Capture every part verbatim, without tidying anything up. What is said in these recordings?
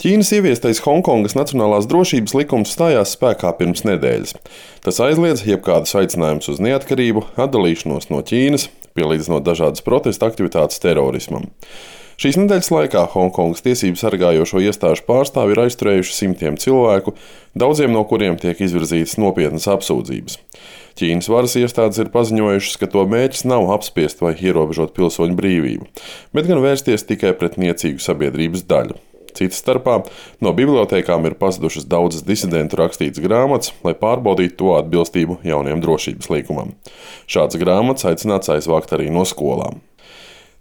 Ķīnas ieviestais Honkongas nacionālās drošības likums stājās spēkā pirms nedēļas. Tas aizliedz jebkādus aicinājumus uz neatkarību, atdalīšanos no Ķīnas, pielīdzinot dažādas protesta aktivitātes terorismam. Šīs nedēļas laikā Honkongas tiesību sargājošo iestāžu pārstāvji ir aizturējuši simtiem cilvēku, daudziem no kuriem tiek izvirzītas nopietnas apsūdzības. Ķīnas varas iestādes ir paziņojušas, ka to mērķis nav apspiest vai ierobežot pilsoņu brīvību, bet gan vērsties tikai pret niecīgu sabiedrības daļu. Citas starpā no bibliotēkām ir pazudušas daudzas disidentu rakstītas grāmatas, lai pārbaudītu to atbilstību jauniem drošības likumam. Šāds grāmatas aicināts aizvākt arī no skolām.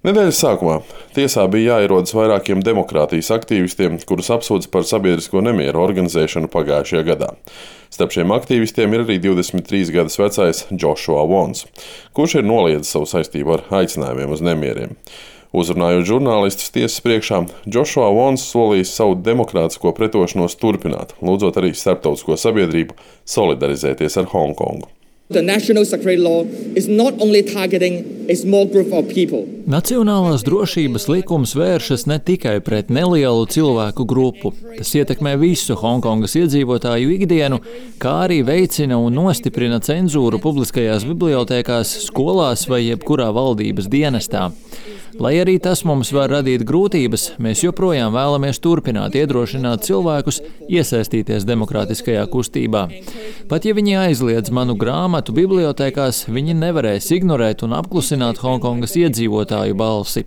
Nedēļas sākumā tiesā bija jāierodas vairākiem demokrātijas aktīvistiem, kurus apsūdz par sabiedrisko nemieru organizēšanu pagājušajā gadā. Starp šiem aktīvistiem ir arī divdesmit trīs gadus vecais Joshua Wons, kurš ir noliedzis savu saistību ar aicinājumiem uz nemieriem. Uzrunājot žurnālistus tiesas priekšā, Joshua Wons solījis savu demokrātisko pretošanos turpināt, lūdzot arī starptautisko sabiedrību solidarizēties ar Hongkongu. The national security law is not only targeting a small group of people. Nacionālās drošības likums vēršas ne tikai pret nelielu cilvēku grupu. Tas ietekmē visu Hongkongas iedzīvotāju ikdienu, kā arī veicina un nostiprina cenzūru publiskajās bibliotēkās, skolās vai jebkurā valdības dienestā. Lai arī tas mums var radīt grūtības, mēs joprojām vēlamies turpināt iedrošināt cilvēkus iesaistīties demokrātiskajā kustībā. Pat ja viņi aizliedz manu grāmatu bibliotēkās, viņi nevarēs ignorēt un apklusināt Hongkongas iedzīvotāju balsi.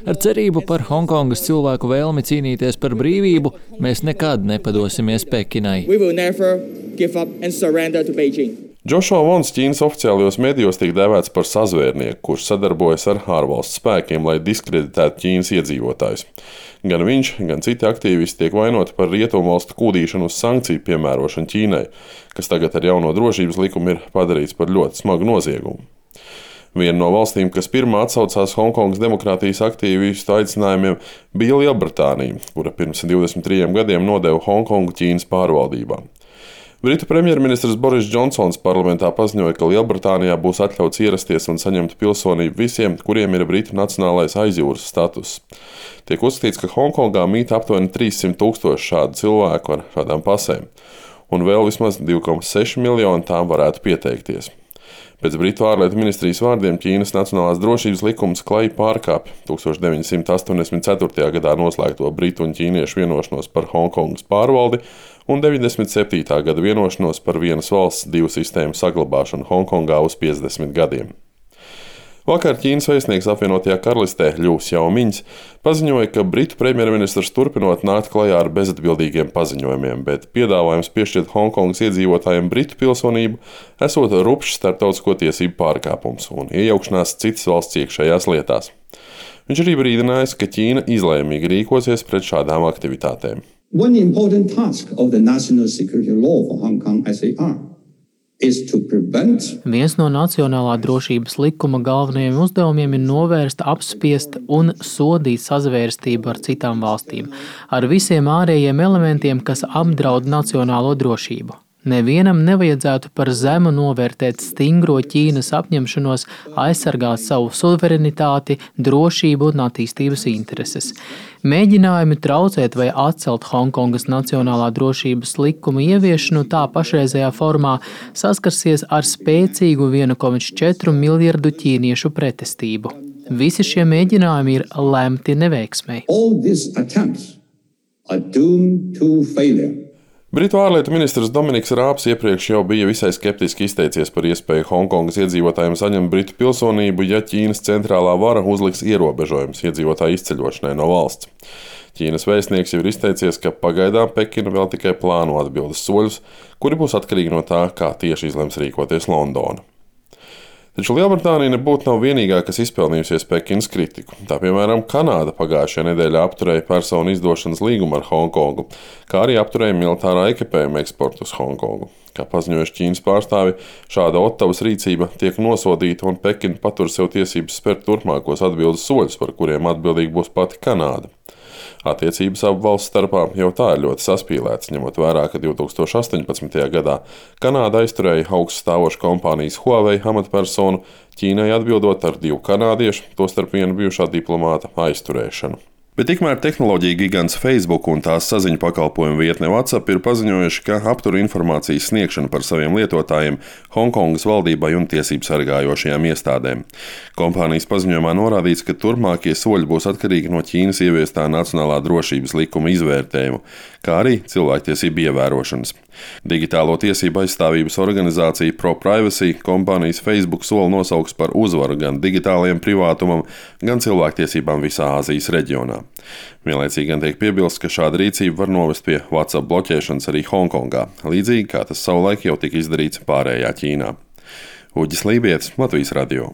Ar cerību par Hongkongas cilvēku vēlmi cīnīties par brīvību, mēs nekad nepadosimies Pekinai. We will never give up and surrender to Beijing. Joshua Wons Ķīnas oficiālajos medijos tiek dēvēts par sazvērnieku, kurš sadarbojas ar ārvalstu spēkiem, lai diskreditētu Ķīnas iedzīvotājus. Gan viņš, gan citi aktīvisti tiek vainoti par rietumvalstu kūdīšanu uz sankciju piemērošanu Ķīnai, kas tagad ar jauno drošības likumu ir padarīts par ļoti smagu noziegumu. Viena no valstīm, kas pirmā atsaucās Hongkongas demokrātijas aktīvistu aicinājumiem, bija Lielbritānija, kura pirms divdesmit trījiem gadiem nodeva Hongkongu Ķīnas pārvaldībā. Britu premjerministrs Boris Džonsons parlamentā paziņoja, ka Lielbritānijā būs atļauts ierasties un saņemt pilsonību visiem, kuriem ir Britu nacionālais aizjūras status. Tiek uzskatīts, ka Hongkongā mīt aptuveni trīssimt tūkstoši šādu cilvēku ar šādām pasēm, un vēl vismaz divi komats seši miljoni tām varētu pieteikties. Pēc Britu ārlietu ministrijas vārdiem Ķīnas nacionālās drošības likums klajā pārkāpj tusenč deviņi simti astoņdesmit ceturtajā gadā noslēgto britu un ķīniešu vienošanos par Hongkongas pārvaldi un deviņdesmit septītā gada vienošanos par vienas valsts divu sistēmu saglabāšanu Hongkongā uz piecdesmit gadiem. Vakar Ķīnas vēstnieks apvienotajā karalistē Ļu Xiaomiņs paziņoja, ka britu premjerministrs turpinot nākt klajā ar bezatbildīgiem paziņojumiem, bet piedāvājums piešķirt Hongkongas iedzīvotājiem britu pilsonību esot rupšs starptautisko tiesību pārkāpums un iejaukšanās citas valsts iekšējās lietās. Viņš arī brīdinājis, ka Ķīna izlēmīgi rīkosies pret šādām aktivitātēm. One important task of the national security law for Hong Kong S A R. Viens no nacionālā drošības likuma galvenajiem uzdevumiem ir novērst, apspiest un sodīt sazvērstību ar citām valstīm, ar visiem ārējiem elementiem, kas apdraud nacionālo drošību. Nevienam nevajadzētu par zemu novērtēt stingro Ķīnas apņemšanos aizsargāt savu suverenitāti, drošību un attīstības intereses. Mēģinājumi traucēt vai atcelt Hongkongas nacionālā drošības likuma ieviešanu tā pašreizējā formā saskarsies ar spēcīgu viena komats četri miljardu ķīniešu pretestību. Visi šie mēģinājumi ir lemti neveiksmei. All these attempts are doomed to failure. Britu ārlietu ministrs Dominiks Rābs iepriekš jau bija visai skeptiski izteicies par iespēju Hongkongas iedzīvotājiem saņemt britu pilsonību, ja Ķīnas centrālā vara uzliks ierobežojumus iedzīvotāju izceļošanai no valsts. Ķīnas vēstnieks jau ir izteicies, ka pagaidām Pekina vēl tikai plāno atbildes soļus, kuri būs atkarīgi no tā, kā tieši izlems rīkoties Londona. Taču Lielbritānija nebūtu nav vienīgā, kas izpelnījusies Pekinas kritiku. Tā piemēram Kanāda pagājušajā nedēļā apturēja personu izdošanas līgumu ar Hongkongu, kā arī apturēja militārā ekipējuma eksportu uz Hongkongu. Kā paziņojuši Ķīnas pārstāvi, šāda Ottavas rīcība tiek nosodīta un Pekina patur sev tiesības spērt turpmākos atbildes soļus, par kuriem atbildīgi būs pati Kanāda. Attiecības abu valstu starpā jau tā ir ļoti saspīlētas, ņemot vērā, ka divtūkstoš astoņpadsmitajā gadā Kanāda aizturēja augststāvošu kompānijas Huawei amatpersonu, Ķīnai atbildot ar divu kanādiešu, tostarp vienu bijušā diplomāta aizturēšanu. Bet tikmēr tehnoloģija gigants Facebook un tās saziņu pakalpojumu vietne WhatsApp ir paziņojuši, ka aptur informācijas sniegšanu par saviem lietotājiem Honkongas valdībai un tiesību sargājošajām iestādēm. Kompānijas paziņojumā norādīts, ka turpmākie soļi būs atkarīgi no Ķīnas ieviestā Nacionālā drošības likuma izvērtējumu, kā arī cilvēktiesību ievērošanas. Digitālo tiesību aizstāvības organizācija ProPrivacy kompānijas Facebook soli nosauks par uzvaru gan digitālajiem privātumam, gan cilvēktiesībām visā Āzijas reģionā. Vienlaicīgi gan tiek piebilsts, ka šāda rīcība var novest pie WhatsApp bloķēšanas arī Honkongā, līdzīgi kā tas savulaik jau tika izdarīts pārējā Ķīnā. Uģis Lībietis, Latvijas radio.